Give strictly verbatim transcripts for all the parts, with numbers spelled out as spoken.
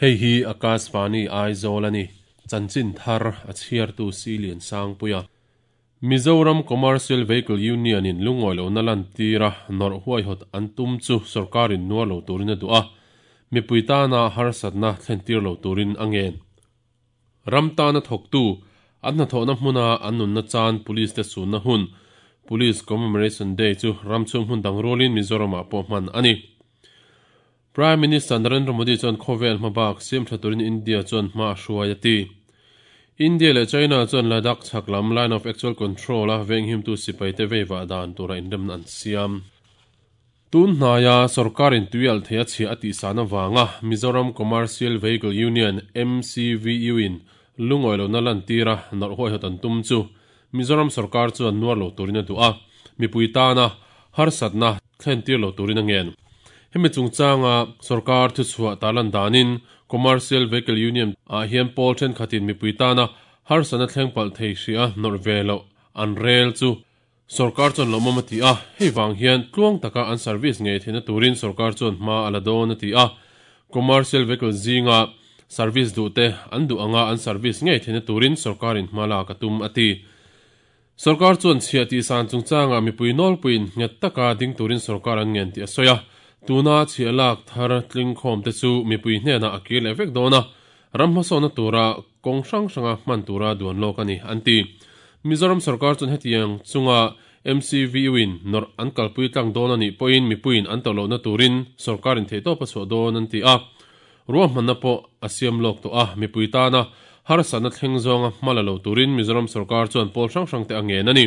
Hei hi Akashvani Aizawl ani chanchin thar a chhiar tu Silian Sangpuia Mizoram Commercial Vehicle Union in lungawi lo na lan tira nor huai hot an tum chu sarkarin nuar lo turin a duh a mipui tana harsatna thlen tir lo turin angen ramtana thoktu an hna thawhna hmuna an nunna chan police te sunna hun Police Commemoration Day chu ramchhung hmun dang rualin Mizoramah pawh hman ani Prime Minister Narendra Modi chuan khawvel hmabak siam tha turin India chuan hma a hruai a ti India le China chuan Ladakh chhaklam line of actual control a venghim tu sipai te veiva dan tura inremna an siam tun hnaiah sarkarin tuial theia chhia a tihsan awanga Mizoram Commercial Vehicle Union M C V U in lungawi lo na lan tira nawrh huai hawt an tum chu Mizoram sarkar chuan nuar lo turin a duh a mipui tana harsatna thlen tir lo turin a ngen hemi chungchanga sarkar thu chhuah talan danin Commercial Vehicle Union a hian pawl thenkhatin mipui tana harsatna thleng palh thei hria nawrh ve lo an rel chu sarkar chuan lo mawm a ti a hei wang hian tluang taka an service ngei theihna turin sarkar chuan hma a la dawn a ti a Commercial Vehicle zinga service duh te an duh anga an service ngei theihna turin sarkarin hma lak a tum a ti sarkar chuan chhia tih san chungchanga mipui nawlpuiin nghet taka ding turin sarkar an ngen tih a sawi a tuna chhia lak thar tling khawm te chu mipui hnenah a kir leh vek dawn a ram hmasawhna tura kawng hrang hranga hman tura duan lawk ani an ti Mizoram sarkar chuan hetiang chunga M C V U in nawrh an kalpui tlang dawn anih pawhin mipuiin an tawrh lohna turin sarkarin theihtawp a chhuah dawn an ti a ruahmanna pawh a siam lawk tawh a mipui tana harsatna thleng zawnga hma la lo turin Mizoram sarkar chuan pawl hrang hrang te a ngen ani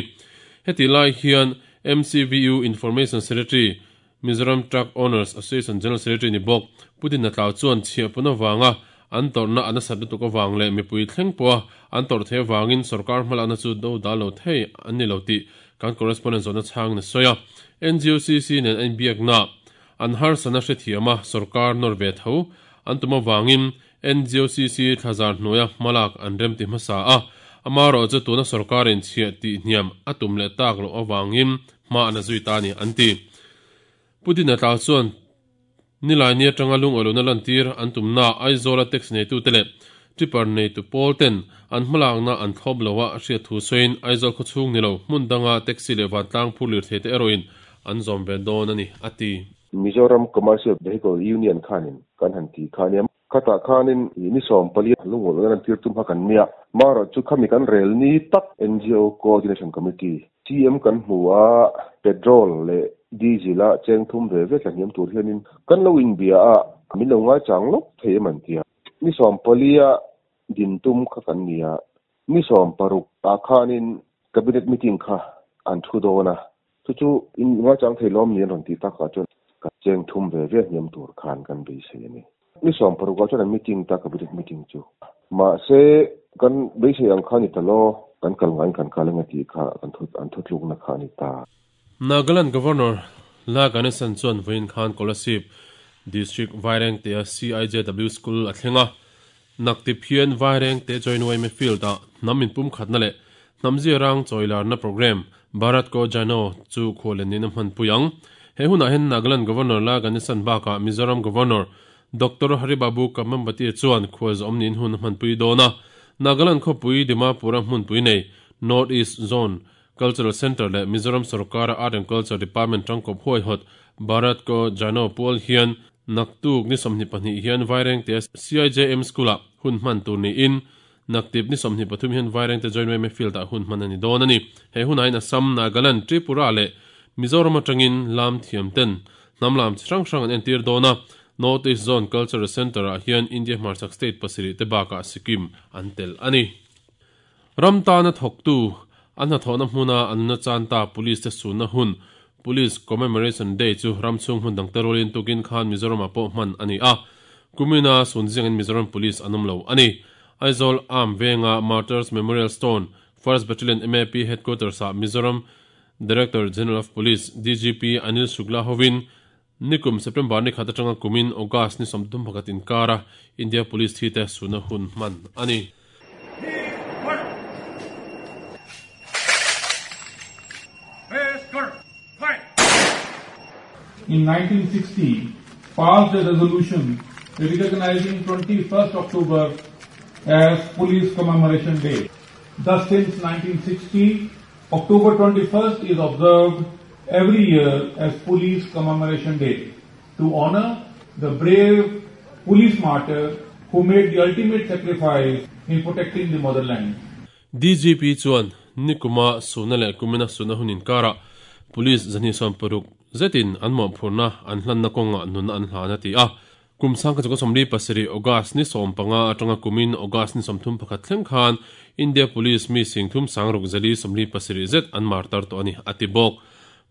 heti lai hian M C V U Information Secretary Mizoram Truck Owners Association General Secretary ni bawk Putin a tlau chuan chhia pun awanga an tawrhna an asat lutuk awang leh mipui thleng pawha an tawrh thei awangin sarkar hmalakna chu do dal lo thei an ni lo tih kan correspondent zawhna chhang na sawi a N G O C C nen an biakna an harsatna hrethiam a sarkar nawr ve tho an tum awangin N G O C C thlazar hnuaia hmalak an rem ti hmasa a amaro chu tuna sarkarin chhia tih hniam a tum leh tak lo awangin hma an a zui ta ni an ti Putin a tlau chuan nilai ni atanga lungawi lo na lan tir an tumna Aizawl a taxi nei tu te leh tipper nei tu pawl ten an hmalakna an thlawp loa a hriat thu sawiin Aizawl khawchhung ni lo hmun danga taxi leh vantlang phur lir thei te erawhin an zawm ve dawn ani a ti Mizoram Commercial Vehicle Union khanin kan han ti khaniam khata khanin ni som pali lungawi lo na lan tir tum ha kan nia maro chu khami kan rel ni tak N G O Coordination Committee C M kan hmuwa petrol le diesel a cheng thum ve ve tla hniam tur hianin kan lo in bia a min lo ngai chang lok thei man tia ni som palia din tum kha kan nia ni som paruk a khanin cabinet meeting kha an thu dona chu chu in ngai chang thei lom ni ron ti ta kha chuan ka cheng thum ve ve hniam tur khan kan be se ni ni som paruk a chuan meeting ta cabinet meeting chu ma se kan be se ang khan ni talo kan kal ngai kan kalanga ti kha kan thu an thu tluk na kha ni ta Nagaland Governor La Ganesan chuan vawiin khan Kolasib District Vairengte a C I J W School a thlenga naktip hian Vairengte join Y M A field a hnam in pum khatna leh hnamzi rang chawilarna program Bharat Ko Jano chu khawlen nin a hman pui ang he hunah hian Nagaland Governor La Ganesan bakah Mizoram Governor Doctor Haribabu Kamambati chuan khual zawm nin hun a hman pui dawn a Nagaland khawpui Dimapur a hmun pui nei North East Zone Cultural Center le Mizoram Sarkar Art and Culture Department tangkop huai hot Bharat Ko Jano Pawl hian naktuk ni somhni pahnih hian Vairengte C I J M School a hun hman tur ni in naktip ni somhni pathum hian Vairengte Joint Y M A Field a hun hman ani dawn ani he hunain Assam Nagaland Tripura le Mizoram atangin lam thiam ten hnam lam chi hrang hrang an entir dawn a North East Zone Cultural Center a hian India hmarchhak state pasarih te bakah Sikkim an tel ani ramtana thawktu an hna thawhna hmuna an na chan ta police te sunna hun Police Commemoration Day chu ramchhung hmun dang te rualin tukin khan Mizoram ah pawh hman ani a kumina sunziang in Mizoram Police an awm lo ani Aizawl Arm Venga Martyrs Memorial Stone First Battalion M A P Headquarters ah Mizoram Director General of Police D G P Anil Shukla hovin nikum September ni khat atanga kumin August ni sawmthum pakhat inkara India Police thi te sunna hun hman ani In nineteen sixty, passed a resolution recognizing twenty-first October as Police Commemoration Day. Thus, since nineteen sixty, October twenty-first is observed every year as Police Commemoration Day to honor the brave police martyr who made the ultimate sacrifice in protecting the motherland. D G P chuan nikuma sunale kumina suna hunin kara police zani som paruk zetin an mo phurna an hlanna konga nun an hlana ti a kumsang ka somli pasiri August ni som panga atanga kumin August ni somthum pakhat thleng khan India Police mi singthum sangruk zali somli pasiri zet an martar to ani atibok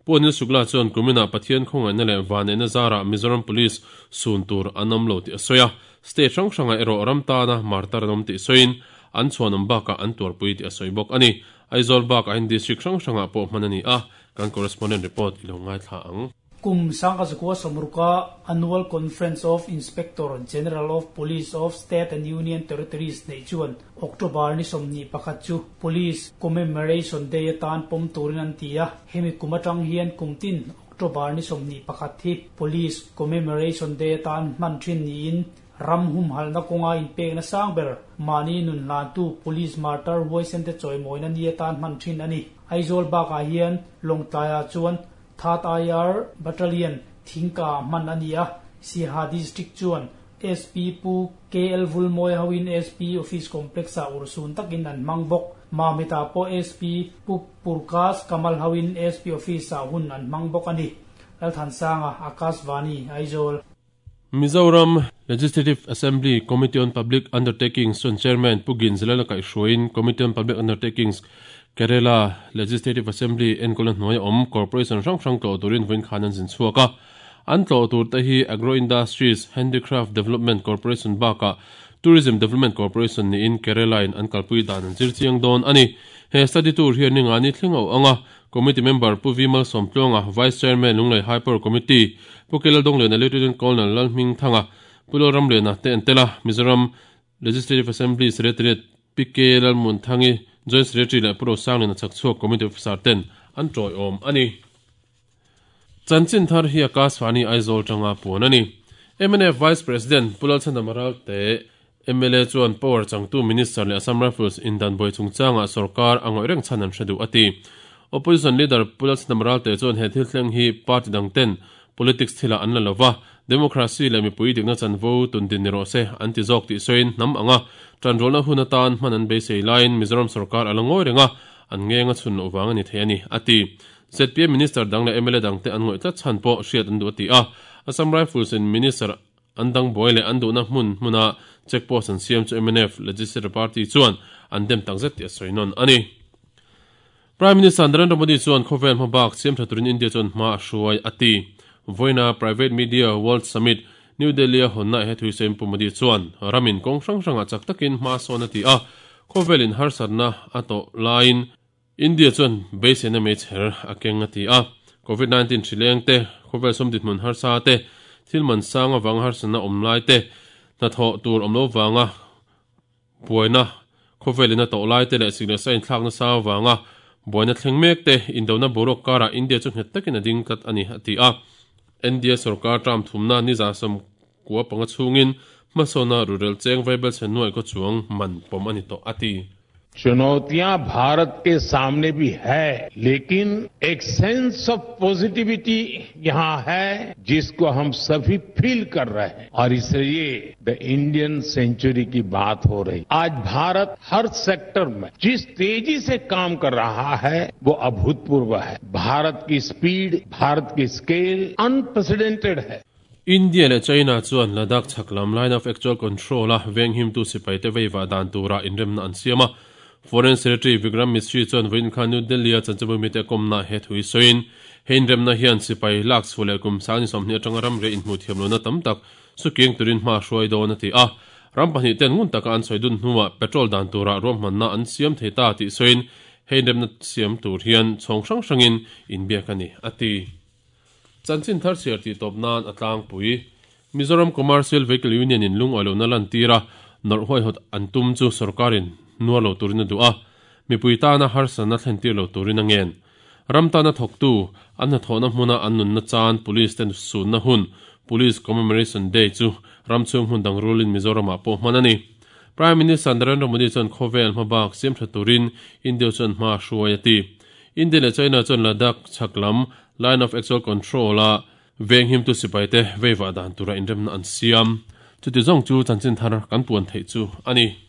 Puanil Shukla chuan kumina Pathian khonga na le wane na zara Mizoram Police sun tur anam lo ti asoya state rang ranga ero ramta na martar nom ti soin an chuanam baka an turpui ti asoibok ani Aizawl bak a district rang ranga po manani a kan correspondent report ilongai tha ang Kum sangka zakwa samruka Annual Conference of Inspector General of Police of State and Union Territories nei chuan October ni somni pakhat chu Police Commemoration Day atan pom turin an tia hemi kumatang hian kumtin October ni somni pakhat hi Police Commemoration Day atan man thin ni in ram hum hal na konga in pek na sangber mani nun lan tu police martyr voice and choi moina ni atan man thin ani Aizawl bak a hian longtlaya chuan Third I R Battalion Thingka man ania Siha District chuan S P Pu K L Vulmoy hawin S P Office Complex a ursun takin an mangbok Mamita po S P Pu Purkas Kamal hawin S P Office a hun an mangbok ani Lalthansanga Akashvani Aizawl Mizoram Legislative Assembly Committee on Public Undertakings on Chairman Pugin Zilala Kai Shroin Committee on Public Undertakings Kerala Legislative Assembly enkolan hnuai om Corporation rang rang tlo turin voin khanan zin chuaka an tlo tur te hi Agro Industries Handicraft Development Corporation baka Tourism Development Corporation ni in Kerala in an kalpui dan an zir chiang don ani he study tour hian ni ngani thlingo anga committee member Pu Vimal Somtlonga Vice Chairman Lunglei Hyper Committee Pu Kelal Donglena Lieutenant Colonel Lalhming Thanga Pu Loram Lena te antela Mizoram Legislative Assembly Secretary P K Lalmun Thangi Joint Secretary le Pro Sang lena chakchhuak Committee Officer ten an troi om ani Chanchin thar hi Akashvani Aizawl tanga puan ani M N F Vice President Pulal Chandamaral te M L A chuan power changtu Minister le Assam Rifles indan boi chungchanga sarkar angoi reng chanan hredu ati Opposition Leader Pulal Chandamaral te chuan he thil thleng hi party dang ten politics thila an la lova democracy le mipui dikna chanvo tundin ni ro se anti zawk ti soin nam anga tanrolna hun atan hman an beisei line Mizoram sarkar alangoi renga an ngenga chun lo wang ani thei ani ati Z P M Minister dang le M L A dang te an ngoi tlat chan po hriat an du ati a Assam Rifles in Minister andang boy le an du na hmun hmuna checkpost an siam chu M N F Legislative Party chuan an dem takzet ti a soinon ani Prime Minister Narendra Modi chuan khovel hmabak siam thaturin India chuan hma a hruai ati Voina Private Media World Summit New Delhi a honna he thuisem pu Modi chuan ramin kong hrang hranga chak takin hma sawn ati a khovelin harsatna ato line India chuan beisena me chher akeng ati a covid nineteen thrileng te khovel somdit mun harsa te thilman sanga wang harsana omlai te na tho tur omlo wanga buaina khovelina to lai te le signe sain thlak na sa wanga buaina thlengmek te indona borok kara India chu nghet takin ading kat ani ati a N D A sarkar tram thumna ni za sam kwa panga chungin masona rural cheng vaibel chenuai ko chuang man pom ani to ati चुनौतियां भारत के सामने भी है, लेकिन एक sense of positivity यहां है जिसको हम सभी फील कर रहे हैं और इसलिए the Indian century की बात हो रही। आज भारत हर सेक्टर में जिस तेजी से काम कर रहा है वो अभूतपूर्व है। भारत की स्पीड, भारत की स्केल अनप्रेसिडेंटेड है। India le China chuan Ladakh chaklam line of actual control a venghim tu sipai te weiwa dan tura inremna an siama Foreign Secretary Vikram Misri chuan voin khan New Delhi a chanchabu mi te komna he thui soin hein remna hian sipai lak chule kum sani somni atanga ram re in hmu thiamlo na tam tak sukieng turin hma hruai dawn ati a ram pahnih ten ngun taka an soidun hnuwa petrol dan tura ruahmanna an siam theita ti soin hein remna siam tur hian chhong hrang hrangin inbiak ani ati Chanchin thar siar ti top nan atlang pui Mizoram Commercial Vehicle Union in lung alo na lan tira nor hoi hot antum chu sarkarin nualo turin du a mipuita na harsan na thlen tir lo turin angen ramta na thoktu an na thona hmuna an nun na chan police ten sun na hun Police Commemoration Day chu ramchhung hmun dang rulin Mizoram ah pawh hman a ni. Prime Minister Narendra Modi chuan khawvel hmabak siam tha turin India chuan hma hruai a ti. India leh China chuan Ladakh chhaklam Line of Actual Control a venghim tu sipai te veiva dan tura inremna an siam. Chuti zawng chu chanchin thar kan puan theih chu a ni.